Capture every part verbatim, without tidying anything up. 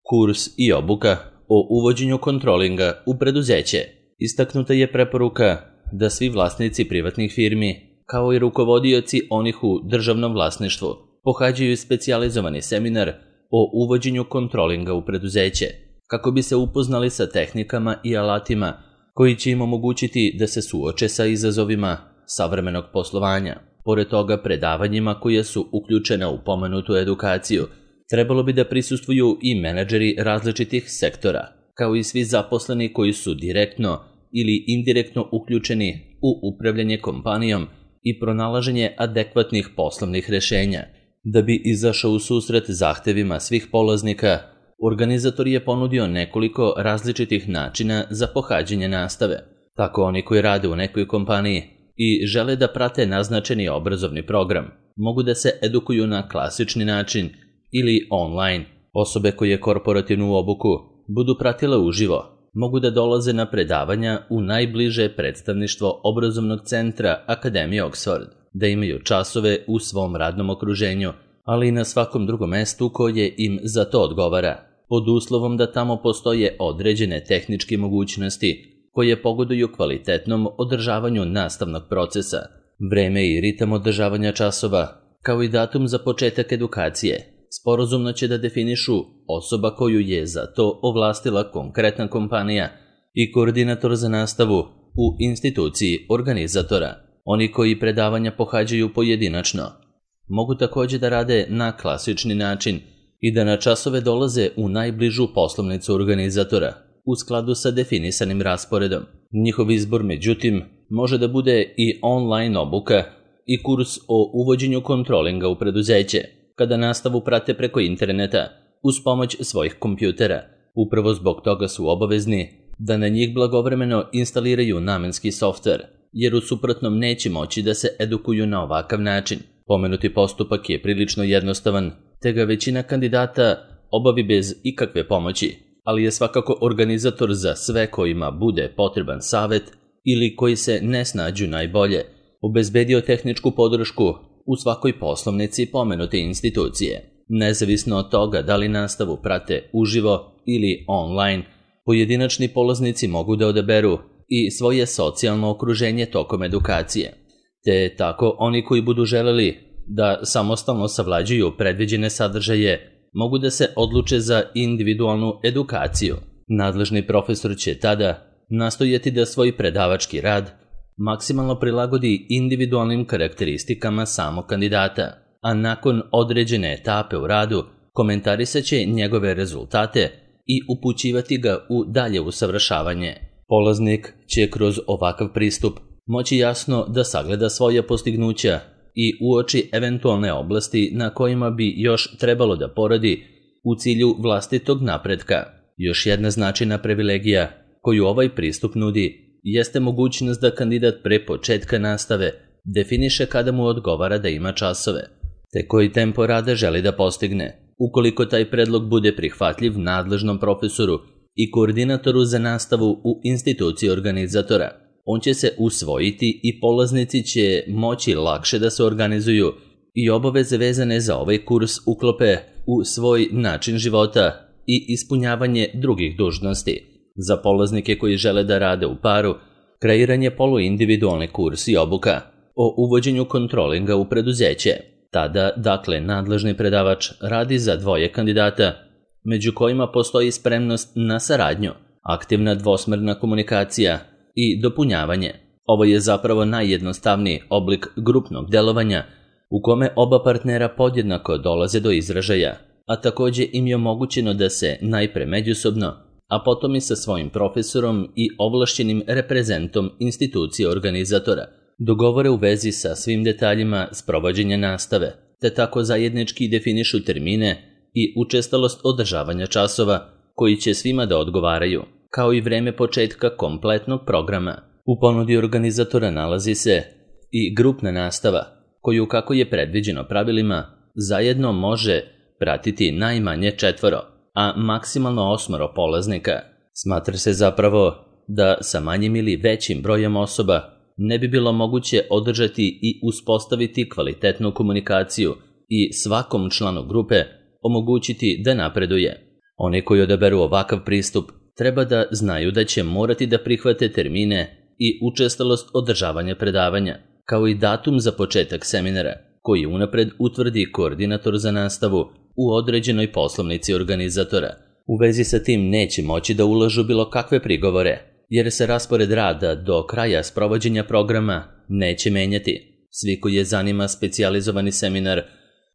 Kurs i obuka o uvođenju kontrolinga u preduzeće. Istaknuta je preporuka da svi vlasnici privatnih firmi, kao i rukovodioci onih u državnom vlasništvu, pohađaju specijalizovani seminar o uvođenju kontrolinga u preduzeće, kako bi se upoznali sa tehnikama i alatima koji će im omogućiti da se suoče sa izazovima savremenog poslovanja. Pored toga, predavanjima koja su uključena u pomenutu edukaciju, trebalo bi da prisustvuju i menadžeri različitih sektora, kao i svi zaposleni koji su direktno ili indirektno uključeni u upravljanje kompanijom i pronalaženje adekvatnih poslovnih rešenja. Da bi izašao u susret zahtevima svih polaznika, organizator je ponudio nekoliko različitih načina za pohađanje nastave. Tako oni koji rade u nekoj kompaniji i žele da prate naznačeni obrazovni program, mogu da se edukuju na klasični način ili online. Osobe koje korporativnu obuku budu pratile uživo, mogu da dolaze na predavanja u najbliže predstavništvo obrazovnog centra Akademije Oxford, da imaju časove u svom radnom okruženju, ali i na svakom drugom mestu koje im za to odgovara, pod uslovom da tamo postoje određene tehničke mogućnosti koje pogoduju kvalitetnom održavanju nastavnog procesa. Vreme i ritam održavanja časova, kao i datum za početak edukacije, sporazumno će da definišu osoba koju je za to ovlastila konkretna kompanija i koordinator za nastavu u instituciji organizatora. Oni koji predavanja pohađaju pojedinačno mogu takođe da rade na klasični način i da na časove dolaze u najbližu poslovnicu organizatora u skladu sa definisanim rasporedom. Njihov izbor, međutim, može da bude i online obuka i kurs o uvođenju kontrolinga u preduzeće, kada nastavu prate preko interneta uz pomoć svojih kompjutera. Upravo zbog toga su obavezni da na njih blagovremeno instaliraju namenski softver, jer u suprotnom neće moći da se edukuju na ovakav način. Pomenuti postupak je prilično jednostavan, te ga većina kandidata obavi bez ikakve pomoći, ali je svakako organizator za sve kojima bude potreban savet ili koji se ne snađu najbolje obezbedio tehničku podršku u svakoj poslovnici pomenute institucije. Nezavisno od toga da li nastavu prate uživo ili online, pojedinačni polaznici mogu da odaberu i svoje socijalno okruženje tokom edukacije, te tako oni koji budu želeli da samostalno savlađuju predviđene sadržaje mogu da se odluče za individualnu edukaciju. Nadležni profesor će tada nastojati da svoj predavački rad maksimalno prilagodi individualnim karakteristikama samog kandidata, a nakon određene etape u radu komentarisat će njegove rezultate i upućivati ga u dalje usavršavanje. Polaznik će kroz ovakav pristup moći jasno da sagleda svoja postignuća i uoči eventualne oblasti na kojima bi još trebalo da poradi u cilju vlastitog napretka. Još jedna značajna privilegija koju ovaj pristup nudi jeste mogućnost da kandidat pre početka nastave definiše kada mu odgovara da ima časove, te koji tempo rada želi da postigne. Ukoliko taj predlog bude prihvatljiv nadležnom profesoru i koordinatoru za nastavu u instituciji organizatora, on će se usvojiti i polaznici će moći lakše da se organizuju i obaveze vezane za ovaj kurs uklope u svoj način života i ispunjavanje drugih dužnosti. Za polaznike koji žele da rade u paru, kreiran je poluindividualni kurs i obuka o uvođenju kontrolinga u preduzeće. Tada, dakle, nadležni predavač radi za dvoje kandidata, među kojima postoji spremnost na saradnju, aktivna dvosmerna komunikacija i dopunjavanje. Ovo je zapravo najjednostavniji oblik grupnog delovanja u kome oba partnera podjednako dolaze do izražaja, a takođe im je omogućeno da se najpre međusobno, a potom i sa svojim profesorom i ovlašćenim reprezentom institucije organizatora dogovore u vezi sa svim detaljima sprovođenja nastave, te tako zajednički definišu termine i učestalost održavanja časova koji će svima da odgovaraju, kao i vreme početka kompletnog programa. U ponudi organizatora nalazi se i grupna nastava, koju, kako je predviđeno pravilima, zajedno može pratiti najmanje četvoro, a maksimalno osmoro polaznika. Smatra se zapravo da sa manjim ili većim brojem osoba ne bi bilo moguće održati i uspostaviti kvalitetnu komunikaciju i svakom članu grupe omogućiti da napreduje. Oni koji odaberu ovakav pristup treba da znaju da će morati da prihvate termine i učestalost održavanja predavanja, kao i datum za početak seminara, koji unapred utvrdi koordinator za nastavu u određenoj poslovnici organizatora. U vezi sa tim neće moći da ulažu bilo kakve prigovore, jer se raspored rada do kraja sprovođenja programa neće menjati. Svi koji je zanima specijalizovani seminar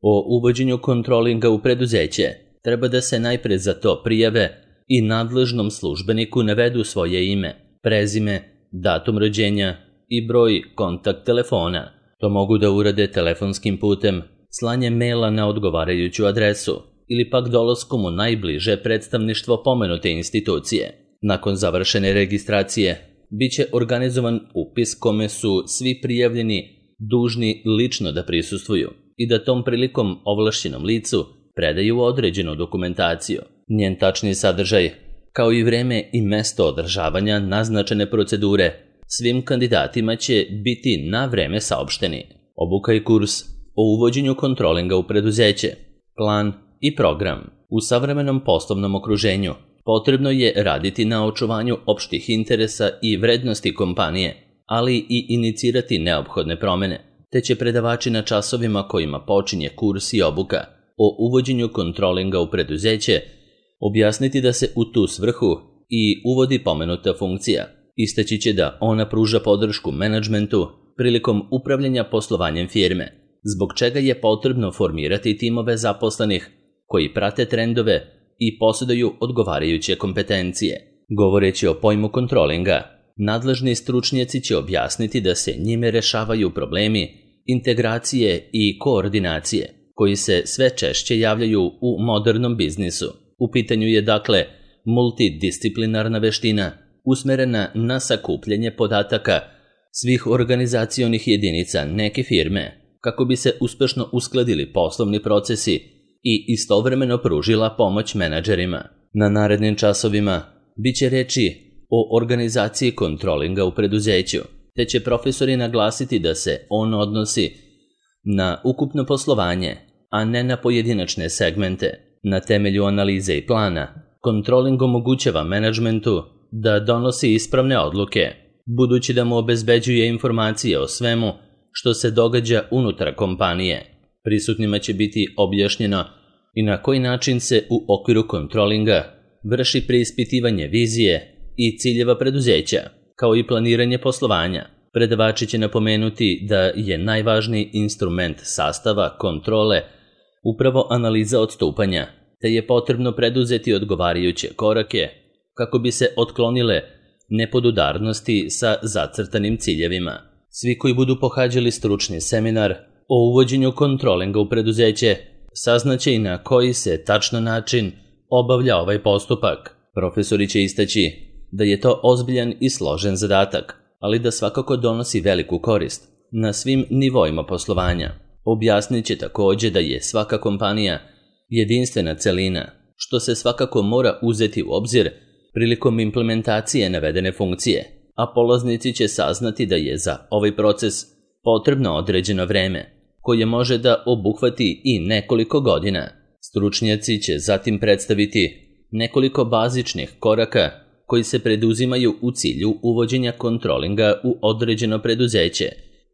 o uvođenju kontrolinga u preduzeće treba da se najpre za to prijave i nadležnom službeniku navedu svoje ime, prezime, datum rođenja i broj kontakt telefona. To mogu da urade telefonskim putem, slanjem maila na odgovarajuću adresu ili pak dolaskom u najbliže predstavništvo pomenute institucije. Nakon završene registracije, bit će organizovan upis kome su svi prijavljeni dužni lično da prisustvuju i da tom prilikom ovlašćenom licu predaju određenu dokumentaciju. Njen tačni sadržaj, kao i vreme i mesto održavanja naznačene procedure, svim kandidatima će biti na vreme saopšteni. Obuka i kurs o uvođenju kontrolinga u preduzeće, plan i program. U savremenom poslovnom okruženju potrebno je raditi na očuvanju opštih interesa i vrednosti kompanije, ali i inicirati neophodne promene, te će predavači na časovima kojima počinje kurs i obuka o uvođenju kontrolinga u preduzeće objasniti da se u tu svrhu i uvodi pomenuta funkcija. Istaći će da ona pruža podršku menadžmentu prilikom upravljanja poslovanjem firme, zbog čega je potrebno formirati timove zaposlenih koji prate trendove i posjeduju odgovarajuće kompetencije. Govoreći o pojmu kontrolinga, nadležni stručnjaci će objasniti da se njime rešavaju problemi integracije i koordinacije, koji se sve češće javljaju u modernom biznisu. U pitanju je dakle multidisciplinarna veština usmerena na sakupljanje podataka svih organizacionih jedinica neke firme, kako bi se uspešno uskladili poslovni procesi i istovremeno pružila pomoć menadžerima. Na narednim časovima bit će reči o organizaciji kontrolinga u preduzeću, te će profesori naglasiti da se on odnosi na ukupno poslovanje, a ne na pojedinačne segmente. Na temelju analize i plana, kontroling omogućava menadžmentu da donosi ispravne odluke, budući da mu obezbeđuje informacije o svemu što se događa unutar kompanije. Prisutnima će biti objašnjeno i na koji način se u okviru kontrolinga vrši preispitivanje vizije i ciljeva preduzeća, kao i planiranje poslovanja. Predavači će napomenuti da je najvažniji instrument sastava kontrole upravo analiza odstupanja, te je potrebno preduzeti odgovarajuće korake kako bi se otklonile nepodudarnosti sa zacrtanim ciljevima. Svi koji budu pohađali stručni seminar o uvođenju kontrolinga u preduzeće saznaće i na koji se tačno način obavlja ovaj postupak. Profesori će istaći da je to ozbiljan i složen zadatak, ali da svakako donosi veliku korist na svim nivoima poslovanja. Objasnit će također da je svaka kompanija jedinstvena celina, što se svakako mora uzeti u obzir prilikom implementacije navedene funkcije, a polaznici će saznati da je za ovaj proces potrebno određeno vreme, koje može da obuhvati i nekoliko godina. Stručnjaci će zatim predstaviti nekoliko bazičnih koraka koji se preduzimaju u cilju uvođenja kontrolinga u određeno preduzeće,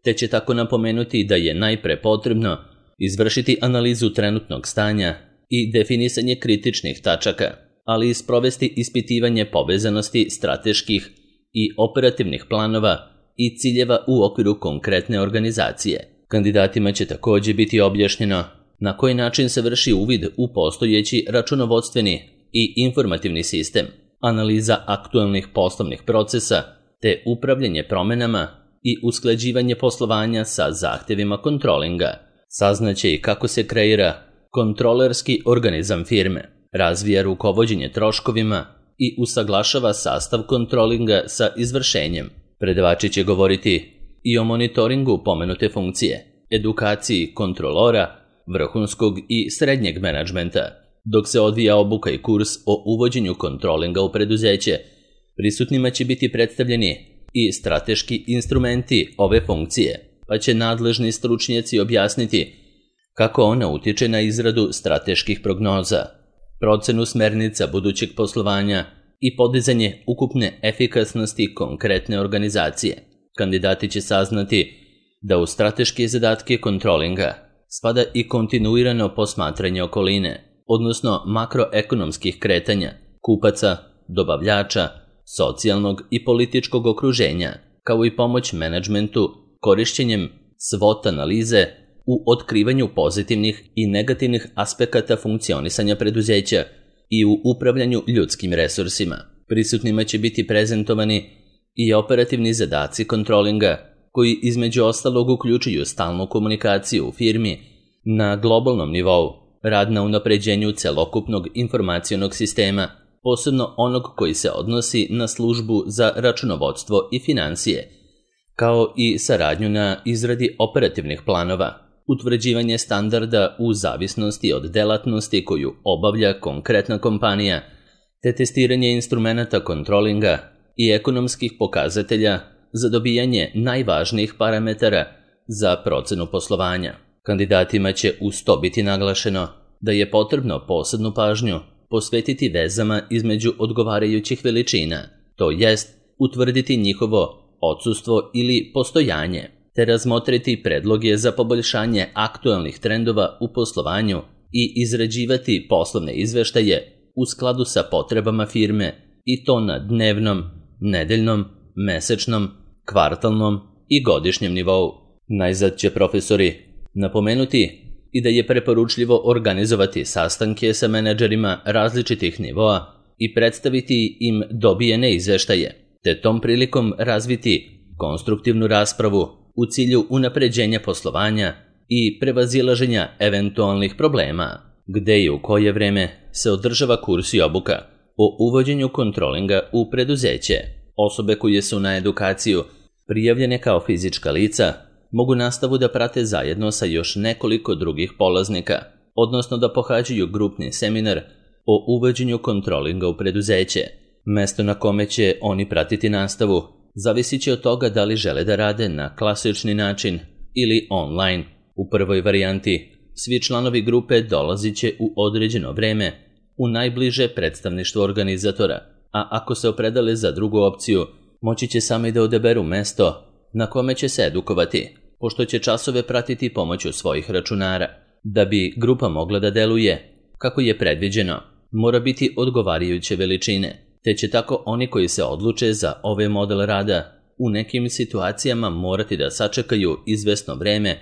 te će tako napomenuti da je najpre potrebno izvršiti analizu trenutnog stanja i definisanje kritičnih tačaka, ali i sprovesti ispitivanje povezanosti strateških i operativnih planova i ciljeva u okviru konkretne organizacije. Kandidatima će također biti objašnjeno na koji način se vrši uvid u postojeći računovodstveni i informativni sistem, analiza aktualnih poslovnih procesa, te upravljanje promenama i usklađivanje poslovanja sa zahtjevima kontrolinga. Saznaće i kako se kreira kontrolerski organizam firme, razvija rukovođenje troškovima i usaglašava sastav kontrolinga sa izvršenjem. Predavači će govoriti i o monitoringu pomenute funkcije, edukaciji kontrolora, vrhunskog i srednjeg menadžmenta. Dok se odvija obuka i kurs o uvođenju kontrolinga u preduzeće, prisutnima će biti predstavljeni i strateški instrumenti ove funkcije, pa će nadležni stručnjaci objasniti kako ona utiče na izradu strateških prognoza, procenu smernica budućeg poslovanja i podizanje ukupne efikasnosti konkretne organizacije. Kandidati će saznati da u strateške zadatke kontrolinga spada i kontinuirano posmatranje okoline, odnosno makroekonomskih kretanja, kupaca, dobavljača, socijalnog i političkog okruženja, kao i pomoć menadžmentu korišćenjem SWOT analize u otkrivanju pozitivnih i negativnih aspekata funkcionisanja preduzeća i u upravljanju ljudskim resursima. Prisutnima će biti prezentovani i operativni zadaci kontrolinga, koji između ostalog uključuju stalnu komunikaciju u firmi na globalnom nivou, rad na unapređenju celokupnog informacionog sistema, posebno onog koji se odnosi na službu za računovodstvo i financije, kao i saradnju na izradi operativnih planova, utvrđivanje standarda u zavisnosti od delatnosti koju obavlja konkretna kompanija, te testiranje instrumenata kontrolinga i ekonomskih pokazatelja za dobijanje najvažnijih parametara za procenu poslovanja. Kandidatima će uz to biti naglašeno da je potrebno posebnu pažnju posvetiti vezama između odgovarajućih veličina, to jest utvrditi njihovo odsustvo ili postojanje, te razmotriti predloge za poboljšanje aktualnih trendova u poslovanju i izrađivati poslovne izveštaje u skladu sa potrebama firme i to na dnevnom, nedeljnom, mesečnom, kvartalnom i godišnjem nivou. Najzad će profesori napomenuti i da je preporučljivo organizovati sastanke sa menadžerima različitih nivoa i predstaviti im dobijene izveštaje, te tom prilikom razviti konstruktivnu raspravu u cilju unapređenja poslovanja i prevazilaženja eventualnih problema, gde i u koje vreme se održava kurs i obuka o uvođenju kontrolinga u preduzeće. Osobe koje su na edukaciju prijavljene kao fizička lica mogu nastavu da prate zajedno sa još nekoliko drugih polaznika, odnosno da pohađaju grupni seminar o uvođenju kontrolinga u preduzeće. Mesto na kome će oni pratiti nastavu zavisit će od toga da li žele da rade na klasični način ili online. U prvoj varijanti svi članovi grupe dolazit će u određeno vreme u najbliže predstavništvo organizatora, a ako se opredele za drugu opciju, moći će sami da odaberu mesto na kome će se edukovati, pošto će časove pratiti pomoću svojih računara. Da bi grupa mogla da deluje kako je predviđeno, mora biti odgovarajuće veličine, te će tako oni koji se odluče za ovaj model rada u nekim situacijama morati da sačekaju izvesno vreme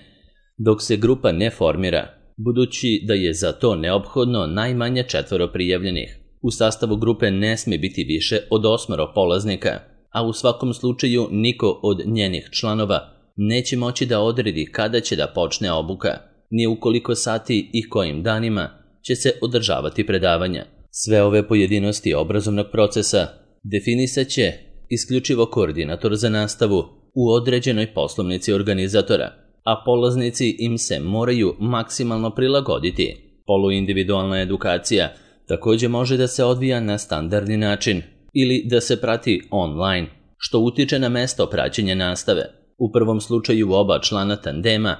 dok se grupa ne formira, budući da je za to neophodno najmanje četvoro prijavljenih. U sastavu grupe ne sme biti više od osmoro polaznika, a u svakom slučaju niko od njenih članova neće moći da odredi kada će da počne obuka, ni u koliko sati i kojim danima će se održavati predavanja. Sve ove pojedinosti obrazovnog procesa definisat će isključivo koordinator za nastavu u određenoj poslovnici organizatora, a polaznici im se moraju maksimalno prilagoditi. Poluindividualna edukacija također može da se odvija na standardni način ili da se prati online, što utiče na mesto praćenja nastave. U prvom slučaju oba člana tandema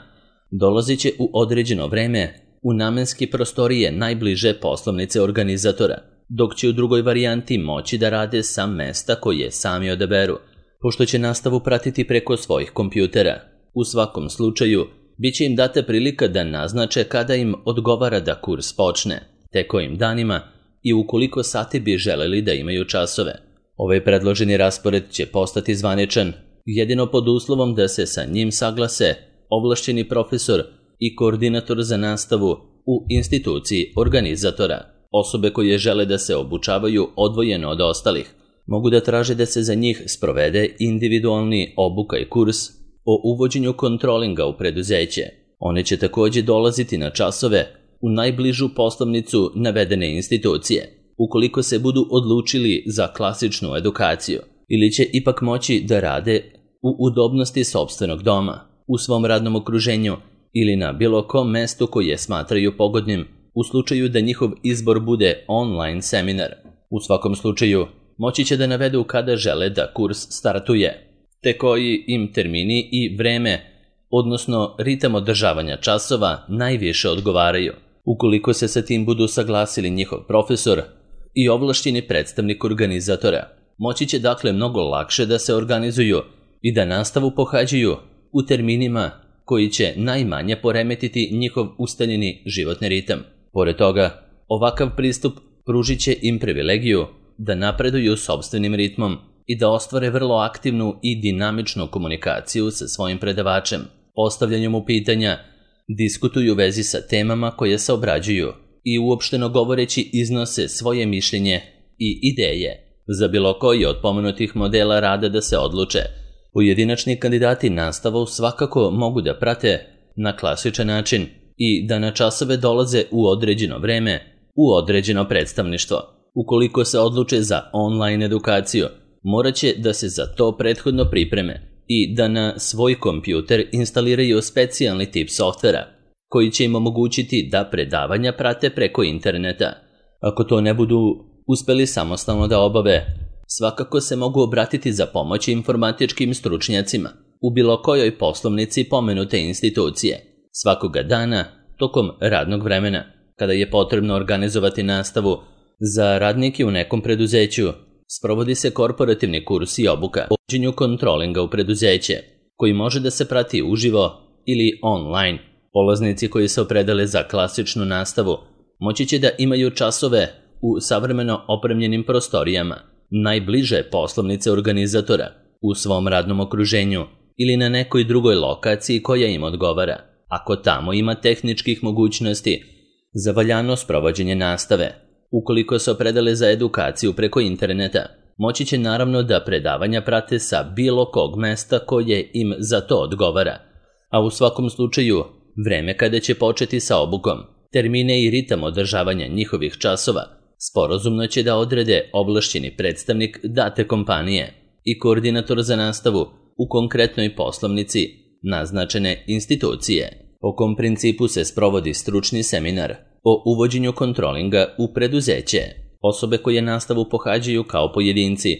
dolazit će u određeno vreme u namenske prostorije najbliže poslovnice organizatora, dok će u drugoj varijanti moći da rade sa mesta koje sami odaberu, pošto će nastavu pratiti preko svojih kompjutera. U svakom slučaju, bit će im data prilika da naznače kada im odgovara da kurs počne, te kojim danima i u koliko sati bi želeli da imaju časove. Ovaj predloženi raspored će postati zvaničan jedino pod uslovom da se sa njim saglase ovlašćeni profesor i koordinator za nastavu u instituciji organizatora. Osobe koje žele da se obučavaju odvojeno od ostalih mogu da traže da se za njih sprovede individualni obuka i kurs o uvođenju kontrolinga u preduzeće. One će također dolaziti na časove u najbližu poslovnicu navedene institucije, ukoliko se budu odlučili za klasičnu edukaciju, ili će ipak moći da rade u udobnosti sopstvenog doma, u svom radnom okruženju ili na bilo kom mestu koje smatraju pogodnim u slučaju da njihov izbor bude online seminar. U svakom slučaju, moći će da navedu kada žele da kurs startuje, te koji im termini i vreme, odnosno ritam održavanja časova, najviše odgovaraju. ukoliko se sa tim budu saglasili njihov profesor i ovlašćeni predstavnik organizatora. Moći će dakle mnogo lakše da se organizuju i da nastavu pohađaju u terminima koji će najmanje poremetiti njihov ustaljeni životni ritam. Pored toga, ovakav pristup pružit će im privilegiju da napreduju sopstvenim ritmom i da ostvare vrlo aktivnu i dinamičnu komunikaciju sa svojim predavačem, postavljanjem mu pitanja, diskutuju u vezi sa temama koje se obrađuju i uopšteno govoreći iznose svoje mišljenje i ideje. Za bilo koji od pomenutih modela rada da se odluče, pojedinačni kandidati nastavu svakako mogu da prate na klasičan način i da na časove dolaze u određeno vreme, u određeno predstavništvo. Ukoliko se odluče za online edukaciju, morat će da se za to prethodno pripreme i da na svoj kompjuter instaliraju specijalni tip softvera, koji će im omogućiti da predavanja prate preko interneta. Ako to ne budu uspeli samostalno da obave, svakako se mogu obratiti za pomoć informatičkim stručnjacima u bilo kojoj poslovnici pomenute institucije. Svakoga dana, tokom radnog vremena, kada je potrebno organizovati nastavu za radnike u nekom preduzeću, sprovodi se korporativni kurs i obuka o uvođenju kontrolinga u preduzeće, koji može da se prati uživo ili online. Polaznici koji se opredele za klasičnu nastavu moći će da imaju časove u savremeno opremljenim prostorijama, najbliže poslovnice organizatora, u svom radnom okruženju ili na nekoj drugoj lokaciji koja im odgovara, ako tamo ima tehničkih mogućnosti za valjano sprovođenje nastave. Ukoliko se opredele za edukaciju preko interneta, moći će naravno da predavanja prate sa bilo kog mesta koje im za to odgovara, a u svakom slučaju vreme kada će početi sa obukom, termine i ritam održavanja njihovih časova sporazumno će da odrede ovlašćeni predstavnik date kompanije i koordinator za nastavu u konkretnoj poslovnici naznačene institucije. Po kom principu se sprovodi stručni seminar o uvođenju kontrolinga u preduzeće. Osobe koje nastavu pohađaju kao pojedinci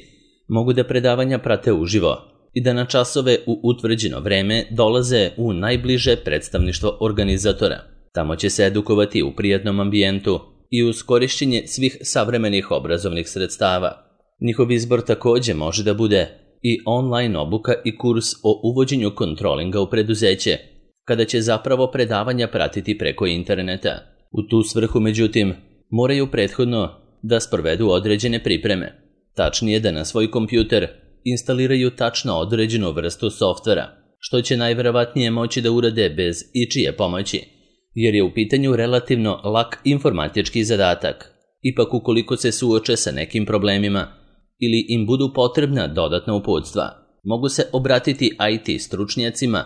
mogu da predavanja prate uživo i da na časove u utvrđeno vreme dolaze u najbliže predstavništvo organizatora. Tamo će se edukovati u prijatnom ambijentu i uz korišćenje svih savremenih obrazovnih sredstava. Njihov izbor takođe može da bude i online obuka i kurs o uvođenju kontrolinga u preduzeće, kada će zapravo predavanja pratiti preko interneta. U tu svrhu, međutim, moraju prethodno da sprovedu određene pripreme, tačnije da na svoj kompjuter instaliraju tačno određenu vrstu softvera, što će najverovatnije moći da urade bez ičije pomoći, jer je u pitanju relativno lak informatički zadatak. Ipak ukoliko se suoče sa nekim problemima ili im budu potrebna dodatna uputstva, mogu se obratiti I T stručnjacima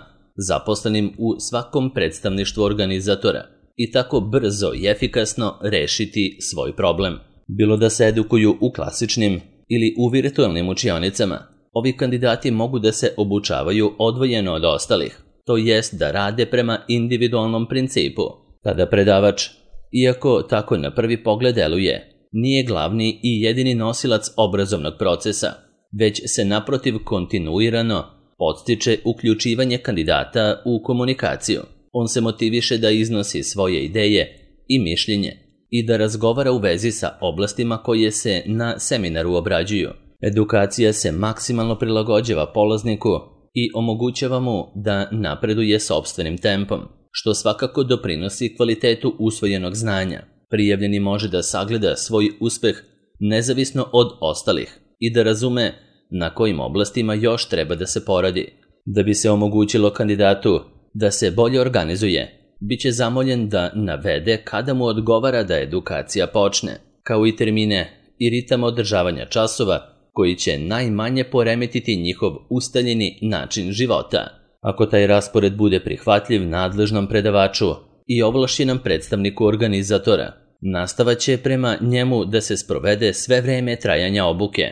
zaposlenim u svakom predstavništvu organizatora i tako brzo i efikasno rešiti svoj problem. Bilo da se edukuju u klasičnim ili u virtualnim učionicama, ovi kandidati mogu da se obučavaju odvojeno od ostalih, to jest da rade prema individualnom principu. Tada predavač, iako tako na prvi pogled deluje, nije glavni i jedini nosilac obrazovnog procesa, već se naprotiv kontinuirano podstiče uključivanje kandidata u komunikaciju. On se motiviše da iznosi svoje ideje i mišljenje i da razgovara u vezi sa oblastima koje se na seminaru obrađuju. Edukacija se maksimalno prilagođava polazniku i omogućava mu da napreduje sopstvenim tempom, što svakako doprinosi kvalitetu usvojenog znanja. Prijavljeni može da sagleda svoj uspeh nezavisno od ostalih i da razume na kojim oblastima još treba da se poradi. Da bi se omogućilo kandidatu da se bolje organizuje, bit će zamoljen da navede kada mu odgovara da edukacija počne, kao i termine i ritam održavanja časova koji će najmanje poremetiti njihov ustaljeni način života. Ako taj raspored bude prihvatljiv nadležnom predavaču i ovlašćenom predstavniku organizatora, nastava će prema njemu da se sprovede sve vreme trajanja obuke,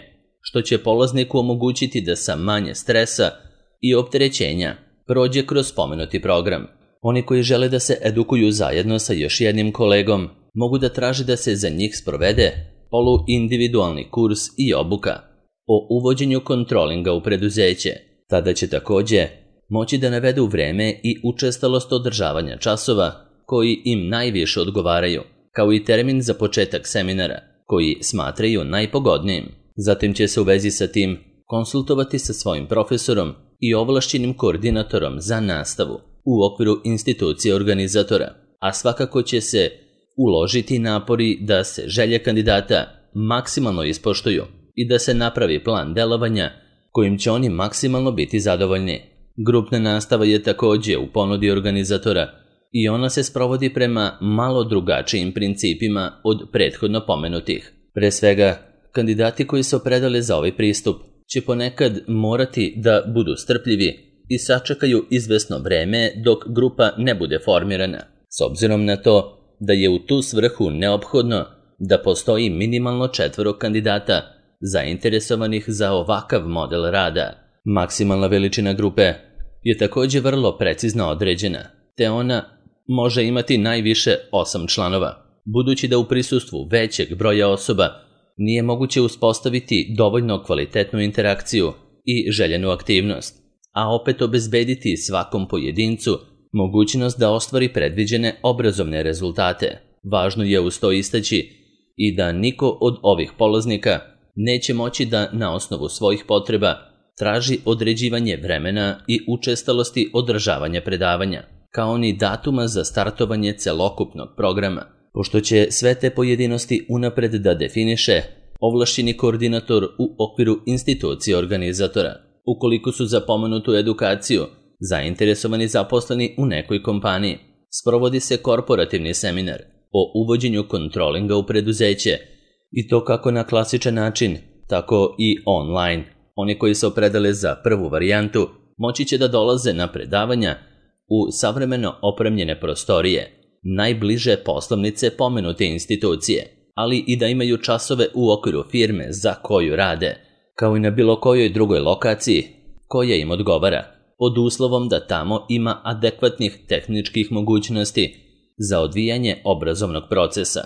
što će polazniku omogućiti da sa manje stresa i opterećenja prođe kroz spomenuti program. Oni koji žele da se edukuju zajedno sa još jednim kolegom mogu da traže da se za njih sprovede poluindividualni kurs i obuka o uvođenju kontrolinga u preduzeće. Tada će takođe moći da navedu vreme i učestalost održavanja časova koji im najviše odgovaraju, kao i termin za početak seminara, koji smatraju najpogodnijim. Zatim će se u vezi sa tim konsultovati sa svojim profesorom i ovlašćenim koordinatorom za nastavu u okviru institucije organizatora, a svakako će se uložiti napori da se želje kandidata maksimalno ispoštuju i da se napravi plan delovanja kojim će oni maksimalno biti zadovoljni. Grupna nastava je također u ponudi organizatora i ona se sprovodi prema malo drugačijim principima od prethodno pomenutih. Pre svega, kandidati koji se opredele za ovaj pristup će ponekad morati da budu strpljivi i sačekaju izvesno vreme dok grupa ne bude formirana, s obzirom na to da je u tu svrhu neophodno da postoji minimalno četvoro kandidata zainteresovanih za ovakav model rada. Maksimalna veličina grupe je također vrlo precizno određena, te ona može imati najviše osam članova, budući da u prisustvu većeg broja osoba nije moguće uspostaviti dovoljno kvalitetnu interakciju i željenu aktivnost, a opet obezbediti svakom pojedincu mogućnost da ostvari predviđene obrazovne rezultate. Važno je uz to istaći i da niko od ovih polaznika neće moći da na osnovu svojih potreba traži određivanje vremena i učestalosti održavanja predavanja, kao ni datuma za startovanje celokupnog programa, pošto će sve te pojedinosti unapred da definiše ovlašćeni koordinator u okviru institucije organizatora. Ukoliko su za pomenutu edukaciju zainteresovani zaposleni u nekoj kompaniji, sprovodi se korporativni seminar o uvođenju kontrolinga u preduzeće, i to kako na klasičan način, tako i online. Oni koji se opredele za prvu varijantu moći će da dolaze na predavanja u savremeno opremljene prostorije, najbliže poslovnice pomenute institucije, ali i da imaju časove u okviru firme za koju rade, kao i na bilo kojoj drugoj lokaciji koja im odgovara, pod uslovom da tamo ima adekvatnih tehničkih mogućnosti za odvijanje obrazovnog procesa.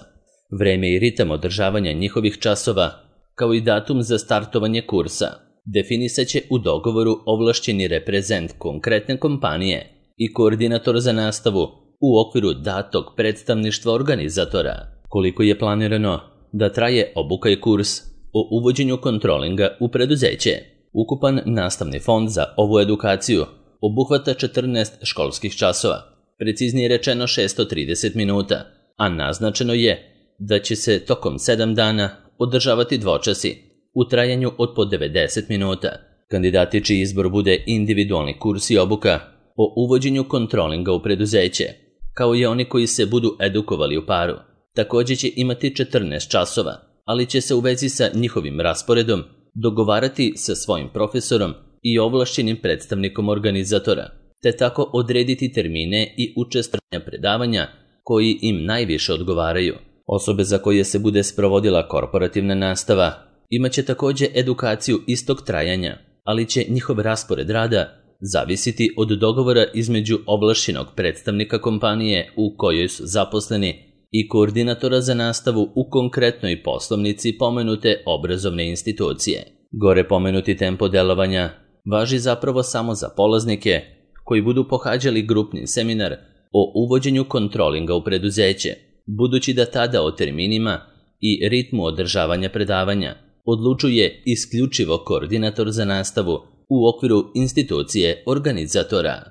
Vreme i ritam održavanja njihovih časova, kao i datum za startovanje kursa, definisat će u dogovoru ovlašćeni reprezent konkretne kompanije i koordinator za nastavu u okviru datog predstavništva organizatora. Koliko je planirano da traje obuka i kurs o uvođenju kontrolinga u preduzeće? Ukupan nastavni fond za ovu edukaciju obuhvata četrnaest školskih časova, preciznije rečeno šessto trideset minuta, a naznačeno je da će se tokom sedam dana održavati dvočasi u trajanju od po devedeset minuta. Kandidati čiji izbor bude individualni kurs i obuka o uvođenju kontrolinga u preduzeće, kao i oni koji se budu edukovali u paru, također će imati četrnaest časova, ali će se u vezi sa njihovim rasporedom dogovarati sa svojim profesorom i ovlašćenim predstavnikom organizatora, te tako odrediti termine i učestvovanja predavanja koji im najviše odgovaraju. Osobe za koje se bude sprovodila korporativna nastava imaće također edukaciju istog trajanja, ali će njihov raspored rada zavisiti od dogovora između ovlašćenog predstavnika kompanije u kojoj su zaposleni i koordinatora za nastavu u konkretnoj poslovnici pomenute obrazovne institucije. Gore pomenuti tempo delovanja važi zapravo samo za polaznike koji budu pohađali grupni seminar o uvođenju kontrolinga u preduzeće, budući da tada o terminima i ritmu održavanja predavanja odlučuje isključivo koordinator za nastavu u okviru institucije organizatora.